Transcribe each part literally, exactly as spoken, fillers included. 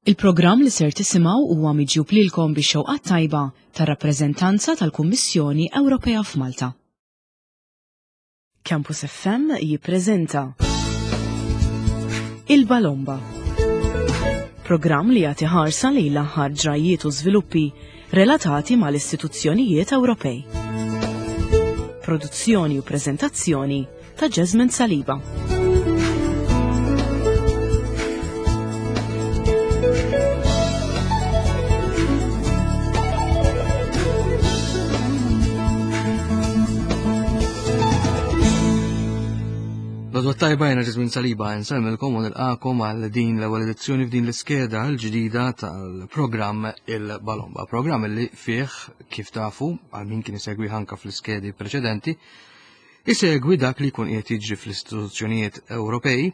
Il-programm li ser tisimgħu huwa miġjub lilkom bix-xewqa tajba tar-rappreżentanza tal-Kummissjoni Ewropea f'Malta. Campus F M jippreżenta Il-Balomba. Programm li jagħti ħarsa lejn l-aħħar ġrajiet u żviluppi relatati mal-istituzzjonijiet Ewropej. Produzzjoni u preżentazzjoni ta' Jasmine Saliba. L-għodwa t-tajba, jiena Jasmine Saliba, nsellmilkom u nilqagħkom għal din l-ewwel edizzjoni f'din l-iskeda l-ġdida tal-programm Il-Balomba. Programm li fih, kif tafu, għal min kien isegwi anka fl-iskedi preċedenti, isegwi dak li jkun qiegħed jiġri fl-istituzzjonijiet Ewropej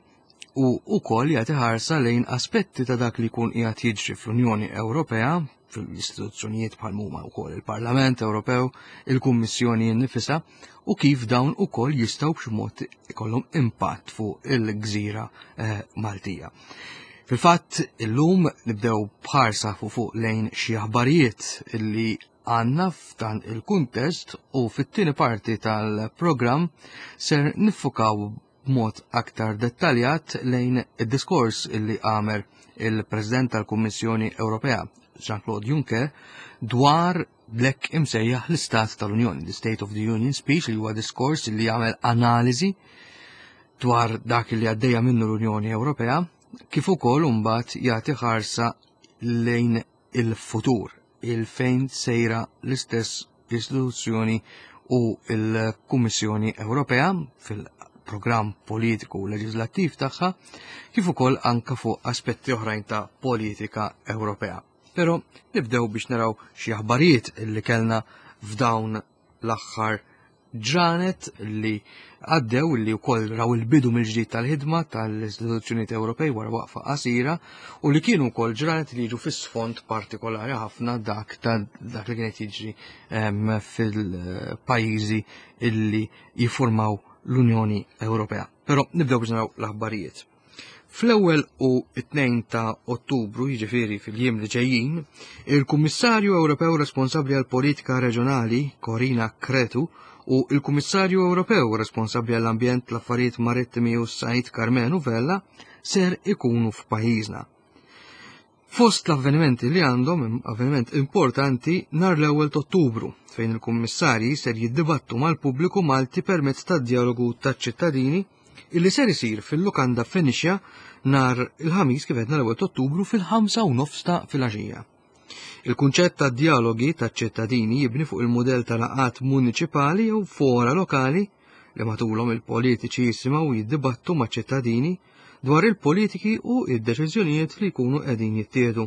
u wkoll jagħti ħarsa lejn aspetti ta' dak li jkun qiegħed jiġri fl-Unjoni Ewropea, fl-istituzzjonijiet bħal huma wkoll il-Parlament Ewropew, il-Kummissjoni nnifisha, u kif dawn ukoll jistgħu b'xi mod ikollhom impatt fuq il-gżira eh, Maltija. Fil-fatt, illum nibdew bħarsa fuq fuq lejn xi aħbarijiet illi għandna f'dan il-kuntest u fit-tieni parti tal-programm ser niffukaw b'mod aktar dettaljat lejn id-diskors illi għamel il-President tal-Kummissjoni Ewropea Jean-Claude Juncker dwar l-hekk imsejjaħ l-Istat tal-Unjoni, the State of the Union Speech, li huwa diskors li jagħmel analiżi dwar dak li għaddejja minnu l-Unjoni Ewropea, kif ukoll imbagħad jagħti ħarsa lejn il-futur, il-fejn sejra l-istess istituzzjoni u l-Kummissjoni Ewropea fil-programm politiku u leġislattiv tagħha, kif ukoll anka fuq aspetti oħrajn ta' politika Ewropea. Pero nibdew biex naraw xi aħbarijiet li kellna f'dawn l-aħħar ġranet li għaddew, li wkoll raw il-bidu mill-ġdid tal-ħidma tal-istituzzjonijiet Ewropej wara waqfa qasira u li kienu wkoll ġranet li jiġu fis-sfond partikolari ħafna dak ta' dak li kienet jiġri fil-pajjiżi illi jiffurmaw l-Unjoni Ewropea. Però nibdew biex naraw l-aħbarijiet. Fl-ewwel u it-tnejn ta' Ottubru, jiġifieri fil-jiem li ġejjin, il-Kummissarju Ewropew responsabbli għal politika reġjonali, Corina Cretu, u il-Kummissarju Ewropew responsabbli għall-ambjent, l-affarijiet marittimi u s-sajd, Karmenu Vella, ser ikunu f'pajjiżna. Fost l-avvenimenti li għandhom, avveniment importanti nhar l-ewwel ta' Ottubru, fejn il-kummissarji ser jiddibattu mal-pubbliku Malti permezz tad-dialogu taċ-ċittadini illi ser isir fil-Lukanda Phoenicia nhar il-Ħamis, kif għedna, l-ewwel ta' Ottubru, fil-ħamsa u nofs ta' filgħaxija. Il-kunċett ta' dialogi ta' ċittadini jibni fuq il-modell ta' laqat municipali jew fora lokali li matulhom il-politiċi jisimgħu u jiddibattu ma' ċittadini dwar il-politiki u id-deċiżjonijiet li jkunu qegħdin jittieħdu.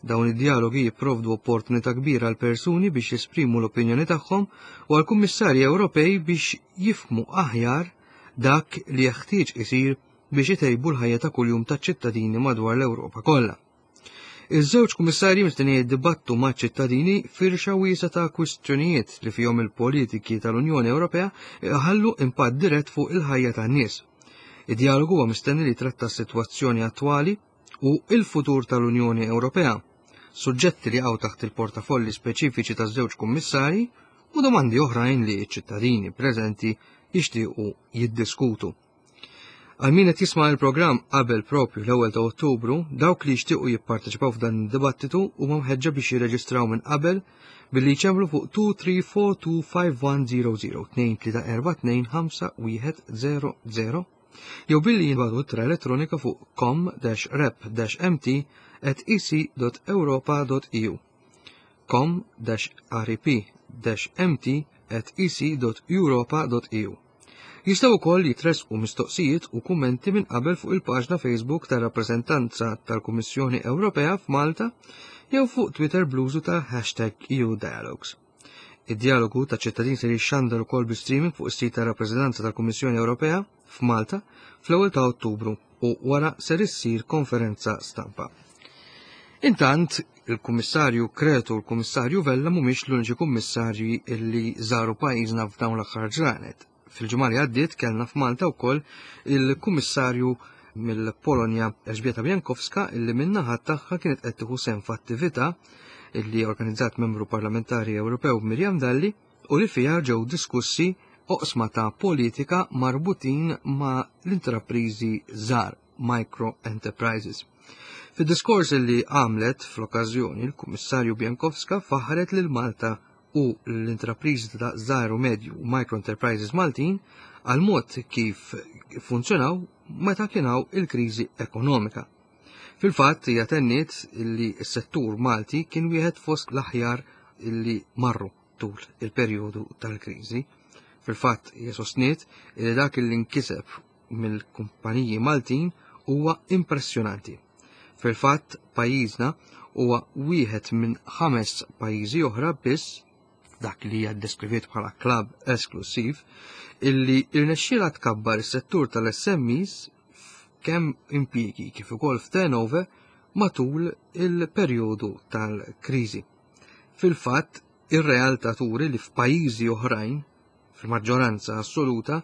Dawn id-dialogi jipprovdu opportunità kbira għal persuni biex jesprimu l-opinjoni tagħhom u għal kummissarji Ewropej biex jifhmu aħjar dak li jeħtieġ isir biex itejbu l-ħajja ta' kuljum taċ-ċittadini madwar l-Ewropa kollha. Iż-żewġ kummissarji mistennija jiddibattu ma' ċittadini firxa wiesa ta' kwistjonijiet li fihom il-politiki tal-Unjoni Ewropea ħallu impatt dirett fuq il-ħajja tan-nies. Id-dialogu huwa mistenni li tratta s-sitwazzjoni attwali u il-futur tal-Unjoni Ewropea, suġġetti li jaqgħu taħt il-portafolli speċifiċi taż-żewġ kummissarji u domandi oħrajn li ċ-ċittadini preżenti jixtiequ jiddiskutu. Għal min qed jisma' il-programm qabel propju l-ewwel ta' Ottubru, dawk li jixtiequ jipparteċipaw f'dan id-dibattitu huma mħeġġa biex jirreġistraw minn qabel billi jċemplu fuq tnejn tlieta erba' tnejn ħamsa wieħed żero żero, tnejn tlieta erba' tnejn ħamsa wieħed żero żero, jew billi jibagħtu ittra elettronika fuq com dash rep dash M T at E C dot europa dot E U, com dash rep dash M T at E C dot europa dot E U. Jistgħu wkoll jitressqu mistoqsijiet u kummenti minn qabel fuq il-paġna Facebook tar-rappreżentanza tal-Kummissjoni Ewropea f'Malta jew fuq Twitter bl-użu ta' hashtag E U Dialogues. Id-dialogu ta' ċittadin se jixxandar ukoll bi streaming fuq is-sit tar-rappreżentanza tal-Kummissjoni Ewropea f'Malta fl-ewwel ta' Ottubru u wara ser issir konferenza stampa. Intant, il-Kummissarju Cretu u l-Kummissarju Vella mhumiex l-uniċi kummissarji illi żaru pajjiżna f'dawn l-aħħar ġranet. Fil-ġimgħa li għaddiet kellna f'Malta wkoll il-Kummissarju mill-Polonja Elżbieta Bienkowska, illi min-naħa tagħha kienet qed tieħu sehem f'attività illi organizzat membru parlamentari Ewropew Mirjam Dalli u li fiha ġew diskussi oqsma ta' politika marbutin ma' l-intrapriżi żgħar, micro enterprises. Fid-diskors li għamlet fl-okkażjoni, il-Kummissarju Bienkowska faħret lil Malta u l-intrapriżi ta' żgħar u medju u micro enterprises Maltin għal mod kif funzjonaw meta kien hawn il-kriżi ekonomika. Fil-fatt, hija tenniet li s-settur Malti kien wieħed fost l-aħjar illi marru tul il-perjodu tal-kriżi. Fil-fatt, hija sostniet li dak li nkiseb mill-kumpaniji Maltin huwa impressjonanti. Fil-fatt, pajjiżna huwa wieħed minn ħames pajjiżi oħra biss, dak li hija deskriviet bħala klabb esklusiv, illi irnexxiela tkabbar is-settur tal-S M Es kemm impjiegi kif ukoll f'turnover matul il-perjodu tal-kriżi. Fil-fatt, ir-realtà turi li f'pajjiżi oħrajn, fil-maġġoranza assoluta,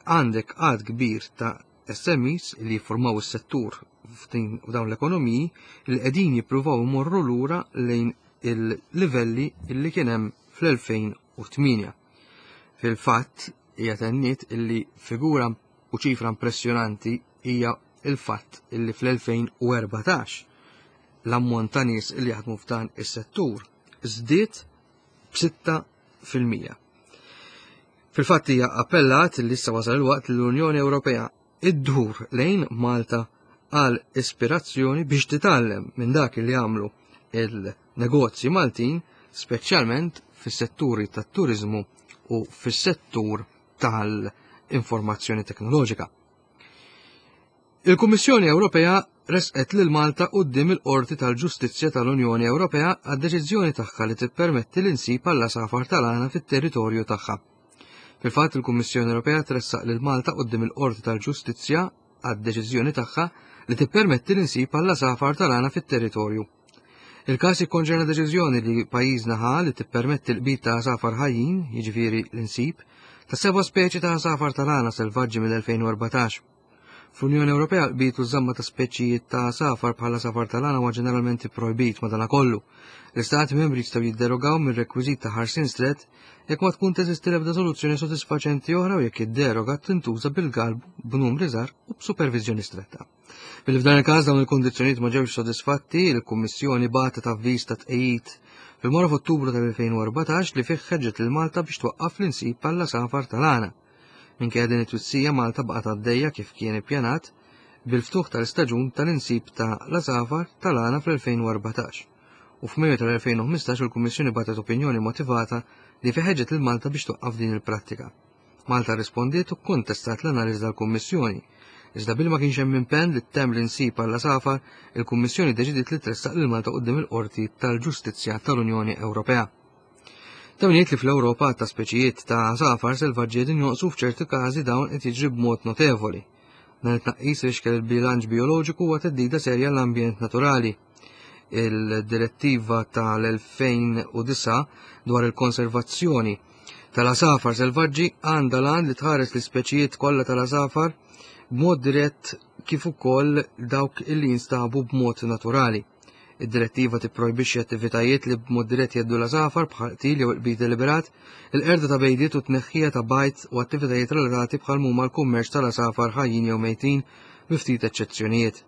għandek għad kbir ta' S M Es li jiffurmaw is-settur f'din dawn l-ekonomiji li qegħdin jippruvaw imorru lura lejn il-livelli li kien hemm fl-elfejn u tmienja. Fil-fatt, hija tenniet illi figura u ċifra impressjonanti hija il-fatt illi fl-elfejn u erbatax l-ammont ta' nies li jaħdmu f'dan is-settur żdied b'sitta fil-mija. Fil-fatt, hija appellat li issa wasal il-waqt li l-Unjoni Ewropea iddur lejn Malta għal ispirazzjoni biex titgħallem minn dak li għamlu il-negozji Maltin, speċjalment fis-setturi tat-turizmu u fis-settur tal-informazzjoni teknoloġika. Il-Kummissjoni Ewropea resqet lil Malta quddiem il-Qorti tal-Ġustizzja tal-Unjoni Ewropea għad-deċiżjoni tagħha li tippermetti l-insib għall-għasafar tal-għana fit-territorju tagħha. Fil-fatt, il-Kummissjoni Ewropea tressaq lil Malta quddiem il-Qorti tal-Ġustizzja għad-deċiżjoni tagħha li tippermetti l-insib għall-għasafar tal-għana fit-territorju. Il-każ jikkonċerna deċiżjoni li pajjiżna ħa li tippermetti l-qbid ta' għasafar ħajjin, jiġifieri l-insib, ta' seba' speċi ta' għasafar tal-għana selvaġġi mill-elfejn u erbatax. Fl-Unjoni Ewropea, l-qbid u żamma ta' speċijiet ta' għasafar bħala għasafar tal-għana huwa ġeneralment projbit. Madanakollu, l-Istati membri jistgħu jidderogaw mir-rekwiżit ta' ħarsien strett jekk ma tkun teżisti l-ebda soluzzjoni sodisfaċenti oħra u jekk id-deroga tintuża bil-galbu, b'numri żgħar u b'superviżjoni stretta. Billi f'dan il-każ dawn il-kondizzjonijiet ma ġewx sodisfatti, il-Kummissjoni bagħtet avviż ta' tqejjid fil-mora f'Ottubru tal-elfejn u erbatax li fih ħeġġet lil Malta biex twaqqaf l-insib għall-għasafar tal-għana. Minkejja din it-twissija, Malta baqgħet għaddejja kif kien ippjanat bil-ftuħ tal-istaġun tal-insib ta' l-għasafar tal-għana fl-elfejn u erbatax. U f'Mejju tal-elfejn u ħmistax il-Kummissjoni bagħtet opinjoni motivata li fiha ħeġġet lil Malta biex twaqqaf din il-prattika. Malta rispondiet u kontestat l-analiżi tal-Kummissjoni. Iżda billi ma kienx hemm impenn li ttemm l-insib għall-għasafar, il-Kummissjoni deċidiet li tressaq lil Malta quddiem il-Qorti tal-Ġustizzja tal-Unjoni Ewropea. Ta' min jgħid li fl-Ewropa ta' speċijiet ta' għasafar selvaġġi qegħdin jonqsu, f'ċerti każi dawn qed jiġri b'mod notevoli. Dan it-tnaqqis ifixkel il-bilanċ bioloġiku u theddida serja l-ambjent naturali. Il-direttiva tal-elfejn u disgħa dwar il-konservazzjoni tal-għasafar selvaġġi għandha l-għan li tħares l-ispeċijiet kollha tal-għasafar b'mod dirett kif ukoll dawk illi jinstabu b'mod naturali. Id-direttiva tipprojbixxi attivitajiet li b'mod dirett jheddu l-għasafar bħal qtil jew qbid deliberat, il-qerda ta' bejdiet u tneħħija ta' bajd u attivitajiet relatati bħal huma l-kummerċ tal-għasafar ħajjin jew mejtin, bi ftit eċċezzjonijiet.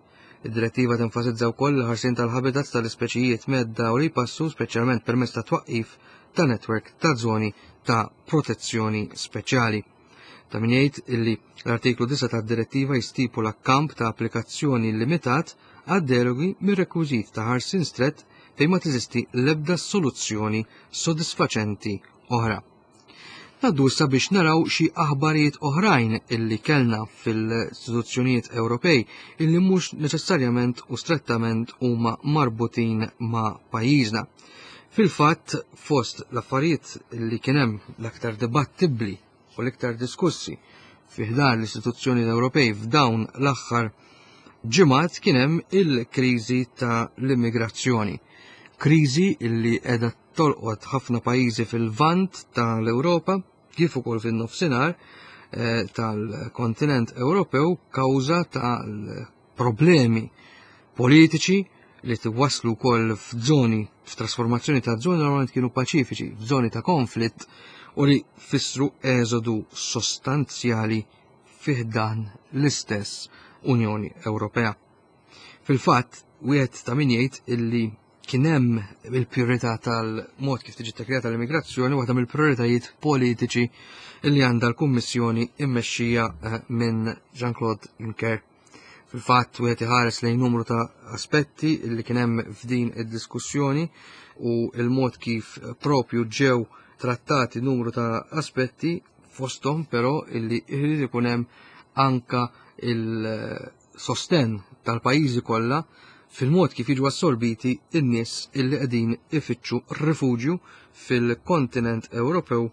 Id-direttiva tenfasizza wkoll il-ħarsien tal-habitats tal-ispeċijiet mhedda u li jpassu, speċjalment permezz ta' twaqqif ta' netwerk ta' zoni ta' protezzjoni speċjali. Ta' min jgħid illi l-artiklu disgħa tad-direttiva jistipula kamp ta' applikazzjoni limitat għad derogi mir-rekwiżit ta' ħarsien strett fejn ma teżisti l-ebda soluzzjoni sodisfaċenti oħra. Ngħaddu issa biex naraw xi aħbarijiet oħrajn illi kellna fil-istituzzjonijiet Ewropej illi mhux neċessarjament u strettament huma marbutin ma' pajjiżna. Fil-fatt, fost l-affarijiet li kien hemm l-aktar dibattibbli u l-iktar diskussi fi ħdan l-istituzzjoni Ewropej f'dawn l-aħħar ġimgħat kien hemm il-kriżi ta' l-immigrazzjoni. Kriżi illi qiegħda tolqot ħafna pajjiżi fil-vant tal-Ewropa kif ukoll fin-nofsinhar, eh, tal-kontinent Ewropew kawża tal-problemi politiċi li twaslu wkoll f'żoni, f'trasformazzjoni ta' żoni normalment kienu paċifiċi, f'żoni ta' konflitt u li fissru eżodu sostanzjali fi ħdan l-istess Unjoni Ewropea. Fil-fatt, wieħed ta' min jgħid illi kien hemm il-priorità tal-mod kif tiġi ttakklata l-immigrazzjoni, waħda mill-prioritajiet politiċi illi għandha l-Kummissjoni immexxija eh, minn Jean-Claude Juncker. Fil-fatt, wieħed iħares lejn numru ta' aspetti illi kien hemm f'din id-diskussjoni u il-mod kif propju ġew trattati numru ta' aspetti, fosthom però illi jrid ikun hemm anka il-sosten tal-pajjiżi kollha fil-mod kif jiġu assorbiti in-nies illi qegħdin ifittxu rifuġju fil-kontinent Ewropew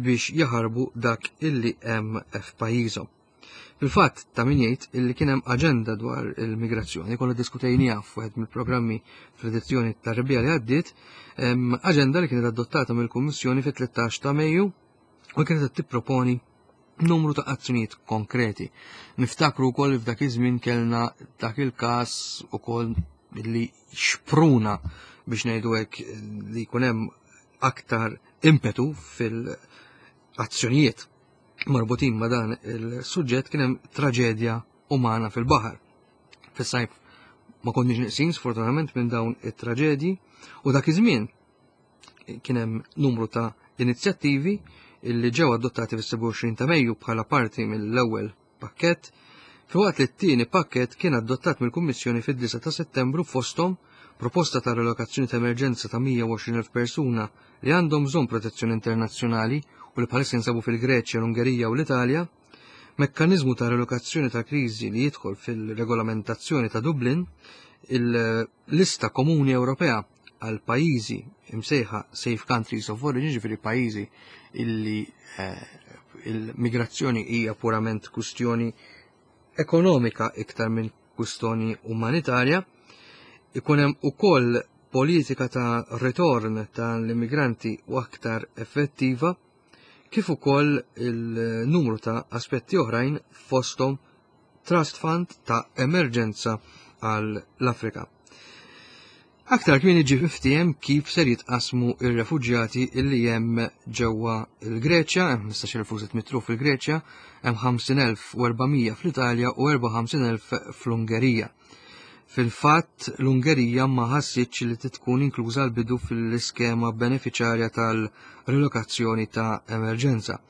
biex jaħarbu dak illi hemm f'pajjiżhom. Fil-fatt, ta' min jgħid illi kien hemm aġenda dwar il-migrazzjoni, konna diskutejniha f'wieħed mill-programmi fl-edizzjoni tar-rebbiegħa li għaddiet, aġenda li kienet adottata mill-Kummissjoni fit-tlettax ta' Mejju u kienet qed tipproponi numru ta' azzjonijiet konkreti. Niftakru wkoll f'dak iż-żmien kellna dak il-każ ukoll li xpruna biex ngħidu hekk li jkun hemm aktar impetu fil-azzjonijiet marbutin ma' dan il-suġġett. Kien hemm traġedja umana fil-baħar. Fis-sajf ma konniex neqsin sfortunatament minn dawn it-traġedji u dak iż-żmien kien hemm numru ta' inizjattivi illi ġew adottati fis-sebgħa u għoxrin ta' Mejju bħala parti mill-ewwel pakkett, filwaqt li t-tieni pakkett kien adottat mill-Kummissjoni fid-disgħa ta' Settembru, fosthom proposta ta' relokazzjoni ta' emerġenza ta' mija u għoxrin elf persuna li għandhom bżonn protezzjoni internazzjonali u li bħalissa jinsabu fil-Greċja, l-Ungerija u l-Italja, mekkaniżmu ta' relokazzjoni ta' kriżi li jidħol fil-regolamentazzjoni ta' Dublin, il-lista komuni Ewropea għal pajjiżi imsejħa Safe Countries of Origin, ġifieri pajjiżi illi, eh, il-migrazzjoni hija purament kwistjoni ekonomika iktar minn kwistjoni umanitarja, ikun hemm ukoll politika ta' ritorn tal-immigranti u aktar effettiva, kif ukoll il-numru ta' aspetti oħrajn, fosthom Trust Fund ta' emerġenza għall-Afrika. Aktar kmieni ġie miftiehem kif ser jitqasmu ir-refuġjati illi hemm ġewwa il-Greċja, hemm ħmistax elf u sitt mitt ruħ fil-Greċja, hemm ħamsin elf u erbamija fl-Italja u erbgħa u ħamsin elf fl-Ungerija. Fil-fatt, l-Ungerija ma ħassitx li tkun inkluża l-bidu fil-iskema beneficjarja tal-relokazzjoni ta' emerġenza.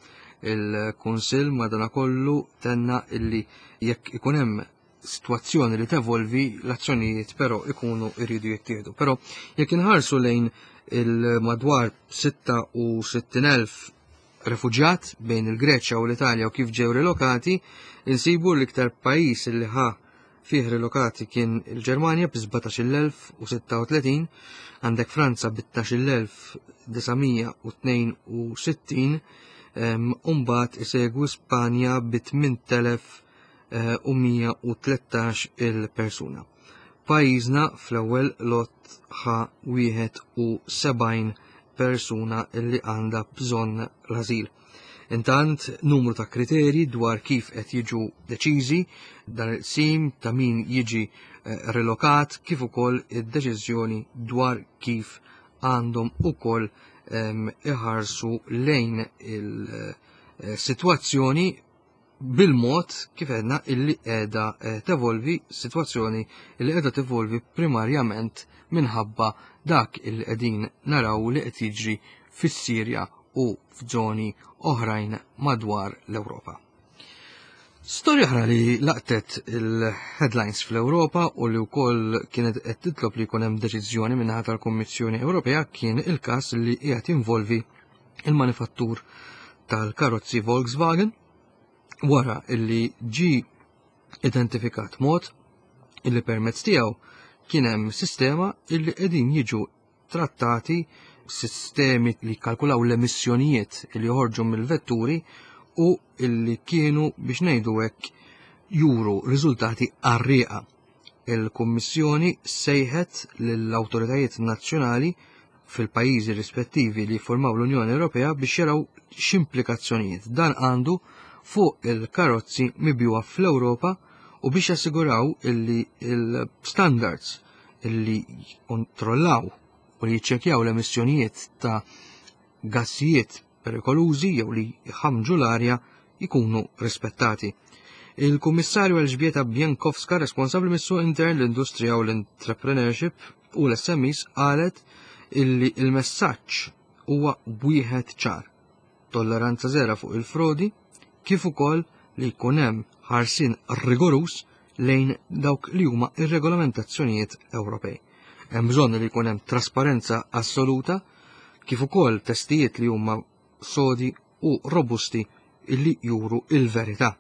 Il-Kunsill madanakollu tenna illi jekk ikun hemm situazzjoni li tevolvi, l-azzjonijiet però ikunu jridu jittieħdu. Però jekk inħarsu lejn il-madwar sitta u sittin elf refuġjat bejn il-Greċja u l-Italja u kif ġew relokati, insibu l-iktar pajjiż li ħa fih relokati kien il-Ġermanja bi sbatax-il elf u sitta u tletin, għandek Franza bi tnax-il elf disamija u tnejn u sittin, em, u mbagħad isegwu Spanja bi tmint elef, eh, u mija u tlettax il-persuna. Pajjiżna fl-ewwel lot ħa wieħed u sebgħin persuna illi għandha bżonn l-ażil. Intant, numru ta' kriterji dwar kif qed jiġu deċiżi dan il-qsim ta' min jiġi, eh, relokat, kif ukoll id-deċiżjoni dwar kif għandhom ukoll, ehm, iħarsu lejn il-sitwazzjoni bil-mod kif għedna illi qiegħda, eh, tevolvi, sitwazzjoni illi qiegħda tevolvi primarjament minħabba dak illi qegħdin naraw li qed jiġri fis-Sirja u f'żoni oħrajn madwar l-Ewropa. Storja oħra li laqtet il-headlines fl-Ewropa u li wkoll kienet qed titlob li jkun hemm deċiżjoni min-naħa tal-Kummissjoni Ewropea kien il-każ li qiegħed jinvolvi il-manifattur tal-karozzi Volkswagen wara illi ġi identifikat mod illi permezz tiegħu kien hemm sistema illi qegħdin jiġu trattati sistemi li kalkulaw l-emissjonijiet li joħorġu mill-vetturi u illi kienu biex ngħidu hekk juru riżultati qarrieqa. Il-Kummissjoni sejħet lill-awtoritajiet nazzjonali fil-pajjiżi rispettivi li formaw l-Unjoni Ewropea biex jaraw x'implikazzjonijiet dan għandu fuq il-karozzi mibjuwa fl-Ewropa u biex jassiguraw illi il-standards illi kontrollaw u li jiċċekjaw l-emissjonijiet ta' gassijiet perikolużi jew li jħamġu l-arja jkunu rispettati. Il-Kummissarju Elżbieta Bienkowska, responsabbli mis-suq intern, l-industrija u l-entrepreneurship u l-S M Es, qalet illi il-messaġġ huwa wieħed ċar: tolleranza zero fuq il-frodi, kif ukoll li jkun hemm ħarsien rigorus lejn dawk li huma ir-regolamentazzjonijiet Ewropej. Hemm bżonn li jkun hemm trasparenza assoluta, kif ukoll testijiet li huma sodi u robusti illi juru il-verità.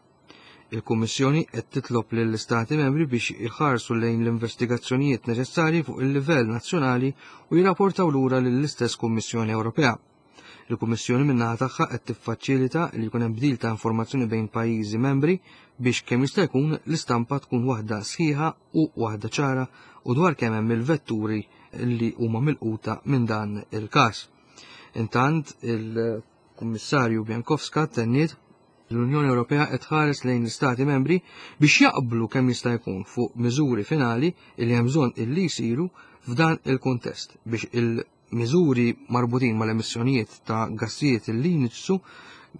Il-Kummissjoni qed titlob lill-Istati membri biex iħarsu lejn l-investigazzjonijiet neċessarji fuq il-livell nazzjonali u jirrapportaw lura lill-istess Kummissjoni Ewropea. Il-Kummissjoni min-naħa tagħha qed tiffaċilita li jkun hemm bdil ta' informazzjoni bejn pajjiżi membri biex kemm jista' jkun l-istampa tkun waħda sħiħa u waħda ċara u dwar kemm hemm il-vetturi li huma milquta minn dan il-każ. Intant, il-Kummissarju Bienkowska tenniet l-Unjoni Ewropea qed tħares lejn l-Istati membri biex jaqblu kemm jista' jkun fuq miżuri finali li hemm bżonn illi jsiru f'dan il-kuntest biex il-miżuri marbutin mal-emissjonijiet ta' gassijiet li jniġsu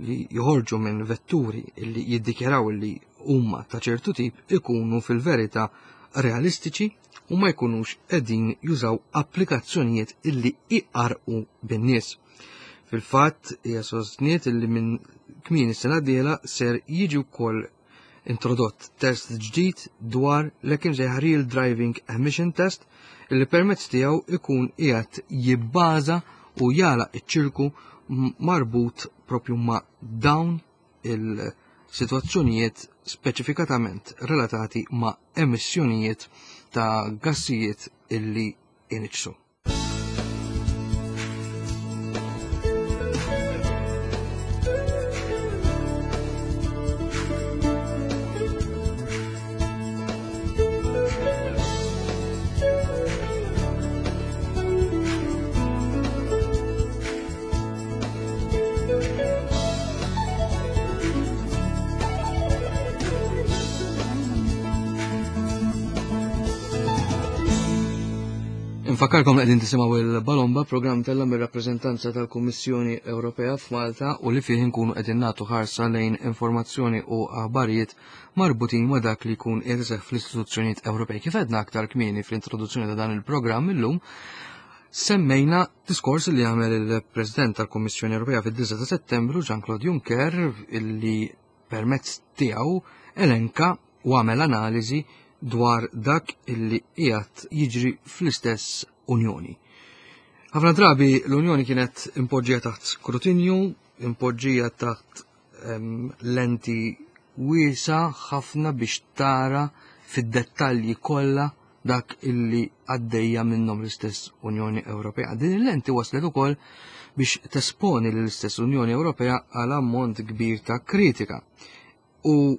li joħorġu minn vetturi li jiddikjaraw li huma ta' ċertu tip ikunu fil-verità realistiċi u ma jkunux qegħdin jużaw applikazzjonijiet illi iqarqu bin-nies. Fil-fatt, hija sostniet illi minn kmieni s-sena d-dieħla ser jiġi wkoll introdott test ġdid dwar l-hekk imsejjaħ Real Driving Emission Test, illi permezz tiegħu ikun qiegħed jibbaża u jagħlaq iċ-ċirku marbut propju ma' dawn il-sitwazzjonijiet speċifikatament relatati ma' emissjonijiet ta' gassijiet illi iniġsu. Nfakkarkom qegħdin tisimgħu il-Balomba, programm tella mir-rappreżentanza tal-Kummissjoni Ewropea f'Malta u li fih inkunu qegħdin nagħtu ħarsa lejn informazzjoni u aħbarijiet marbutin ma' dak li jkun qiegħed iseħħ fl-istituzzjonijiet Ewropej. Kif għedna aktar kmieni fl-introduzzjoni ta' dan il-programm illum, semmejna diskors li għamel il-President tal-Kummissjoni Ewropea fid-disgħa ta' Settembru, Jean-Claude Juncker, illi permezz tiegħu elenka u għamel analiżi dwar dak illi qiegħed jiġri fl-istess Unjoni. Ħafna drabi l-Unjoni kienet impoġġija taħt skrutinju, impoġġija taħt, ehm, lenti wiesa ħafna biex tara fid-dettalji kollha dak illi għaddejja minnhom l-istess Unjoni Ewropea. Din il-lenti waslet ukoll biex tesponi l-istess Unjoni Ewropea għal ammont kbir ta' kritika. U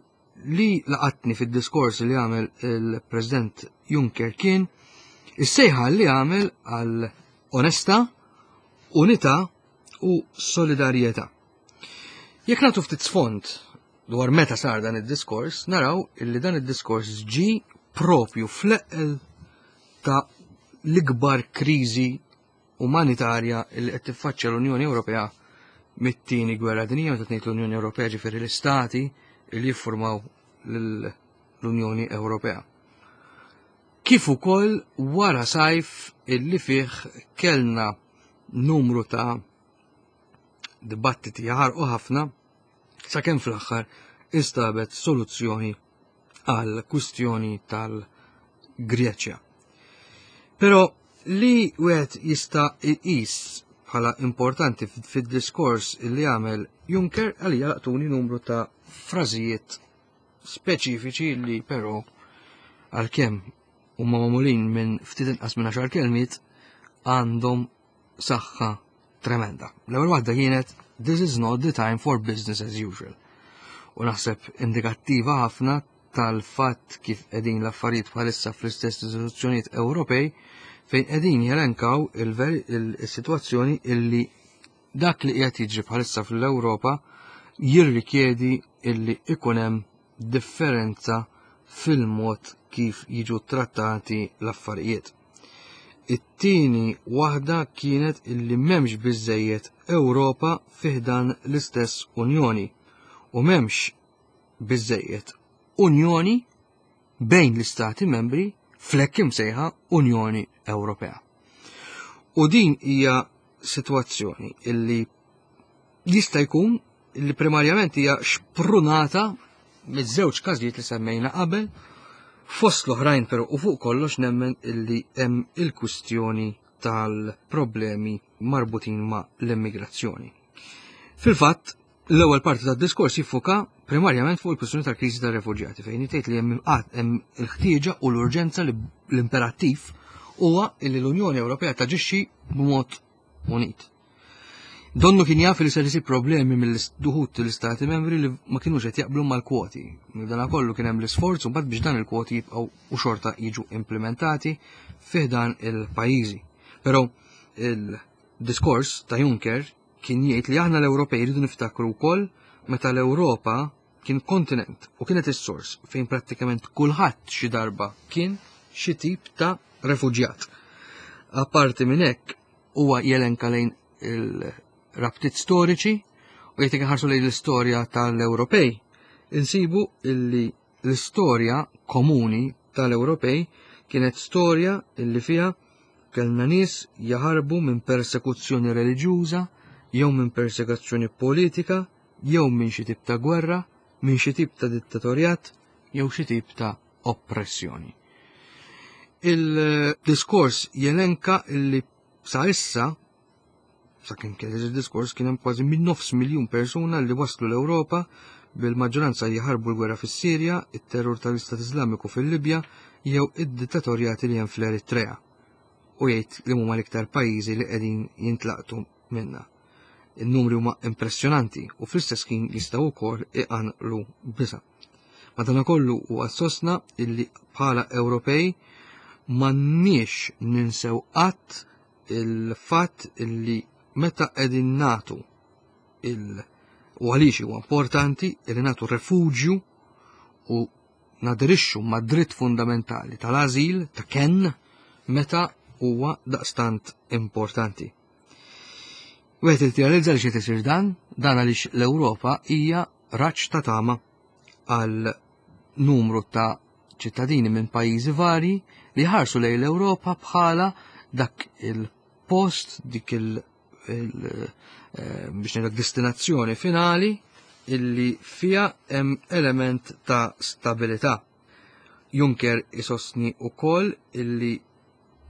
li laqatni fid-diskors li għamel il-President Juncker kien is-sejħa li għamel għal onestà, unità u solidarjetà. Jekk nagħtu ftit sfond dwar meta sar dan id-diskors, naraw illi dan id-diskors ġi propju fl-eqqel ta' l-ikbar kriżi umanitarja li qed tiffaċċja l-Unjoni Ewropea mit-tieni gwerra dinjija. Meta tgħid l-Unjoni Ewropea, ġifieri l-istati li jiffurmaw l-Unjoni Ewropea. Kif ukoll wara sajf illi fih kellna numru ta' dibattiti jaħarqu ħafna sakemm fl-aħħar instabet soluzzjoni għal kwistjoni tal-Greċja. Però li wieħed jista' jqis bħala importanti fid-diskors li għamel Juncker, għalija laqtuni numru ta' frażijiet speċifiċi li però għalkemm huma magħmulin minn ftit inqas minn għaxar kelmiet għandhom saħħa tremenda. L-ewwel waħda kienet "This is not the time for business as usual." U naħseb indikattiva ħafna tal-fatt kif qegħdin l-affarijiet bħalissa fl-istess istituzzjonijiet Ewropej, fejn qegħdin jelenkaw il-sitwazzjoni illi dak li qiegħed jiġri bħalissa fl-Ewropa Jirrikjedi illi ikun hemm differenza fil-mod kif jiġu trattati l-affarijiet. It-tieni waħda kienet illi m'hemmx biżejjed Ewropa fi ħdan l-istess Unjoni u m'hemmx biżejjed Unjoni bejn l-istati membri fl-hekk imsejħa Unjoni Ewropea. U din hija sitwazzjoni illi jista' jkun illi primarjament hija xprunata miż-żewġ każijiet li semmejna qabel. Fost l-oħrajn, però, u fuq kollox nemmen illi hemm il-kwistjoni tal-problemi marbutin ma' l-immigrazzjoni. Fil-fatt, l-ewwel parti tad-diskors jiffoka primarjament fuq il-kwistjoni tal-kriżi tar-refuġjati, fejn jgħid li hemm hemm il-ħtieġa u l-urġenza, li l-imperattiv huwa li l-Unjoni Ewropea taġixxi b'mod unit. Donnu kien jaf li ser isib problemi mill-duħut l-istati membri li ma kienux qed jaqblu mal-kwoti. Dan kollu kien hemm l-isforz u mbagħad biex dan il-kwoti jibqgħu u xorta jiġu implementati fih dan il-pajjiżi. Però il-diskors ta' Juncker kien jgħid li aħna l-Ewropej rridu niftakru wkoll meta l-Ewropa kien kontinent u kienet is-sors fejn prattikament kulħadd xi darba kien xi tip ta' refuġjat. Apparti minn hekk, huwa jelenka lejn il- rabtiet storiċi u jgħid ħarsu lejn l-istorja tal-Ewropej. Insibu illi l-istorja komuni tal-Ewropej kienet storja illi fiha kellna nies jaħarbu minn persekuzzjoni reliġjuża jew minn persekuzzjoni politika jew minn xi tip ta' gwerra, minn xi tip ta' dittatorjat jew xi tip ta' oppressjoni. Il-diskors jelenka illi sa issa, sakemm kien il-diskors, kien hemm kważi minn nofs miljun persuna li waslu l-Ewropa, bil-maġġoranza jaħarbu l-gwerra fis-Sirja, it-terror tal-Istat Islamiku fil-Libja jew id-dittatorjati li hemm fl-Eritrea. U jgħid li huma l-iktar pajjiżi li qegħdin jintlaqtu minna. Il-numri huma impressjonanti u fl-istess ħin jistgħu wkoll iqanqlu biża'. Madanakollu huwa sostna illi bħala Ewropej m'għandniex ninsew qatt il-fatt illi meta qegħdin nagħtu il u għaliex huwa importanti li nagħtu refuġju u naderixxu ma' dritt fundamentali tal-ażil, ta' kenn, meta huwa daqstant importanti. Wieħed tirrealizza li xi tisir dan, dan għaliex l-Ewropa hija raġġ ta' tama għal numru ta' ċittadini minn pajjiżi vari li ħarsu lejn l-Ewropa bħala dak il-post, dik il- il eh, biex ngħidlek destinazzjoni finali illi fija hemm element ta' stabilità. Juncker isostni wkoll illi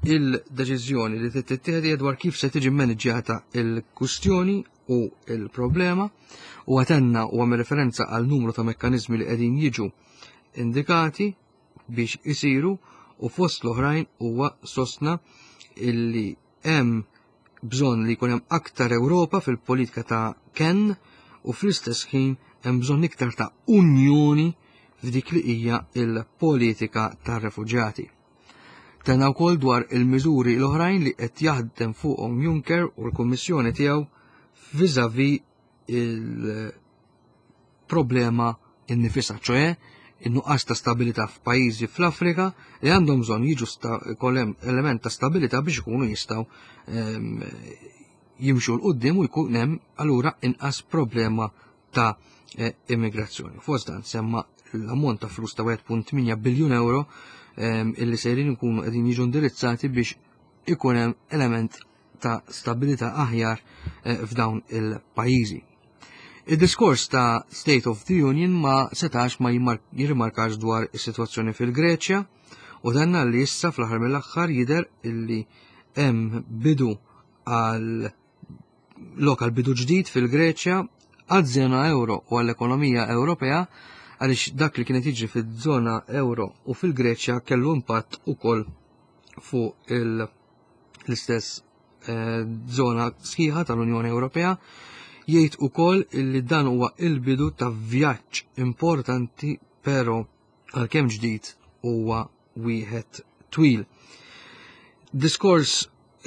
il-deċiżjoni li tittieħed hija dwar kif se tiġi maniġġjata il-kustjoni u il-problema, u għatenna u għamel referenza għal numru ta' mekkanizmi li qegħdin jiġu indikati biex isiru, u fost l-oħrajn huwa sostna illi hemm bżonn li jkun hemm aktar Ewropa fil-politika ta' kenn u fl-istess ħin hemm bżonn iktar ta' unjoni f'dik li hija il-politika tar-refuġjati. Tenna wkoll dwar il-miżuri l-oħrajn li qed jaħdem fuqhom Juncker u l-Kummissjoni tiegħu vis-à-vis il-problema innifisha, ċoè in-nuqqas ta' stabilità f'pajjiżi fl-Afrika li għandhom bżonn jiġu kolem element ta' stabilità biex ikunu jistgħu ehm, jimxu 'l quddiem u jkun hemm allura inqas problema ta' eh, immigrazzjoni. Fost dan semma l-ammont ta' flus ta' wieħed punt tmienja biljun euro ehm, illi sejrin ikunu qegħdin jiġu indirizzati biex ikun hemm element ta' stabilità aħjar eh, f'dawn il-pajjiżi. Il-diskors ta' State of the Union ma setax ma jirrimarkax dwar is-sitwazzjoni fil-Greċja u danna li issa fl-aħħar mill-aħħar jidher illi hemm bidu għal lokal bidu ġdid fil-Greċja, għaż-żona euro u għall-ekonomija Ewropea, għaliex dak li kienet jiġri fil-żona euro u fil-Greċja kellu impatt ukoll fuq l-istess eh, zona sħiħa tal-Unjoni Ewropea. Jgħid ukoll illi dan huwa il-bidu ta' vjaġġ importanti, però għalkemm ġdid huwa wieħed twil. Diskors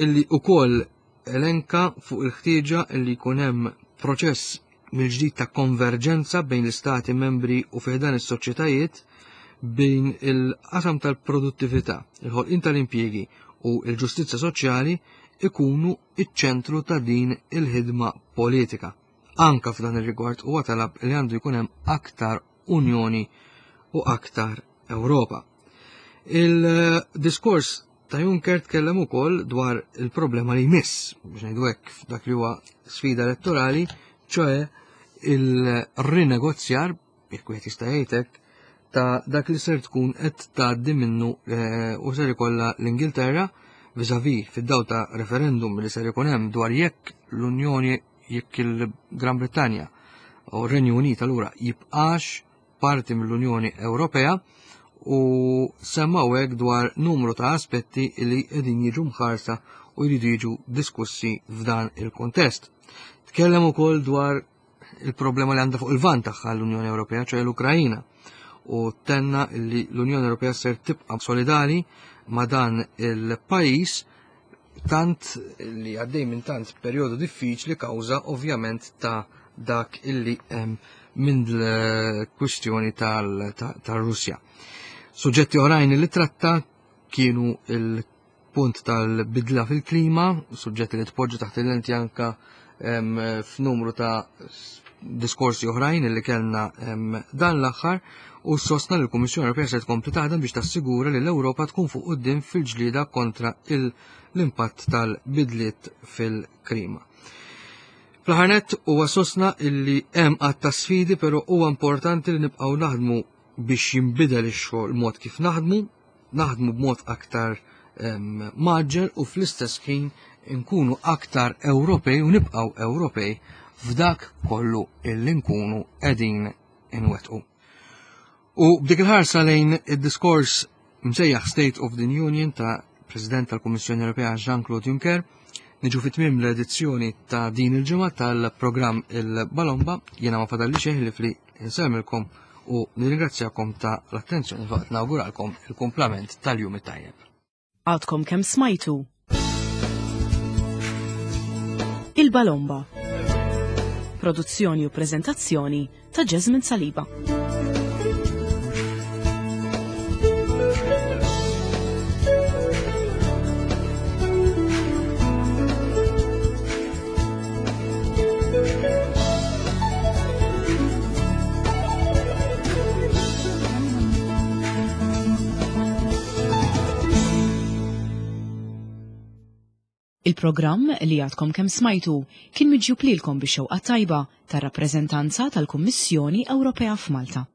illi ukoll elenka fuq il-ħtieġa illi jkun hemm proċess mill-ġdid ta' konverġenza bejn l-istati membri u fi ħdan is-soċjetajiet bejn il-qasam tal-produttività, il-ħolqien tal-impjiegi u l-ġustizzja soċjali ikunu iċ-ċentru ta' din il-ħidma politika. Anka f'dan ir-rigward huwa talab li għandu jkun hemm aktar Unjoni u aktar Ewropa. Il-diskors ta' Juncker tkellem ukoll dwar il-problema li jmiss, biex ngħidu hekk f'dak li huwa sfida elettorali, ċoe il-rinegozjar, jekk wieħed jista' jgħid hekk, ta' dak li ser tkun qed tgħaddi minnu eh, u ser ikollha l-Ingilterra vis-à-vis fid-dawl ta' referendum li ser ikun hemm dwar jekk l-Unjoni jekk il-Gran Brittanja u r-Renju Unit allura jibqax parti mill-Unjoni Ewropea u semmaw hekk dwar numru ta' aspetti li qegħdin jiġu mħarsa u jridu jiġu diskussi f'dan il-kontest. Tkellem ukoll dwar il-problema li għandha fuq il-lvant tagħha l-Unjoni Ewropea, ċoè l-Ukrajina, u tenna li l-Unjoni Ewropea ser tibqa' solidali ma' dan il-pajjiż tant li għaddej minn tant perjodu diffiċli kawża ovvjament ta' dak illi hemm minn l-kwistjoni tal-Russja. Suġġetti oħrajn li tratta kienu il-punt tal-bidla fil-klima, suġġetti li tpoġġu taħt il-lenti anka f'numru ta' diskorsi oħrajn li kellna dan l-aħħar u sostna li l-Kummissjoni Ewropea se tkompli taħdem biex tassigura li l-Ewropa tkun fuq quddiem fil-ġlieda kontra l-impatt tal-bidliet fil-klima. Fl-aħħar nett huwa sostna illi hemm għadd ta' sfidi però huwa importanti li nibqgħu naħdmu biex jinbidel ix-xogħol mod kif naħdmu, naħdmu b'mod aktar mgħaġġel u fl-istess ħin nkunu aktar Ewropej u nibqgħu Ewropej f'dak kollu illi nkunu qegħdin inwettqu. U b'dik il-ħarsa lejn id-diskors msejjaħ State of the Union ta' President tal-Kummissjoni Ewropea Jean-Claude Juncker, niġu fi tmiem l-edizzjoni ta' din il-ġimgħa tal-programm Il-Balomba, jiena ma fadalli xejn ħlief li nsellmilkom u nirringrazzjakom ta' l-attenzjoni waqt nawguralkom il-kumplament tal-jum it-tajjeb. Għadkom kemm smajtu Il-Balomba. Produzzjoni u prezentazzjoni ta' Jasmine Saliba. Il-programm li għadkom kemm smajtu kien miġjub lilkom bix-xewqa tajba tar-rappreżentanza tal-Kummissjoni Ewropea f'Malta.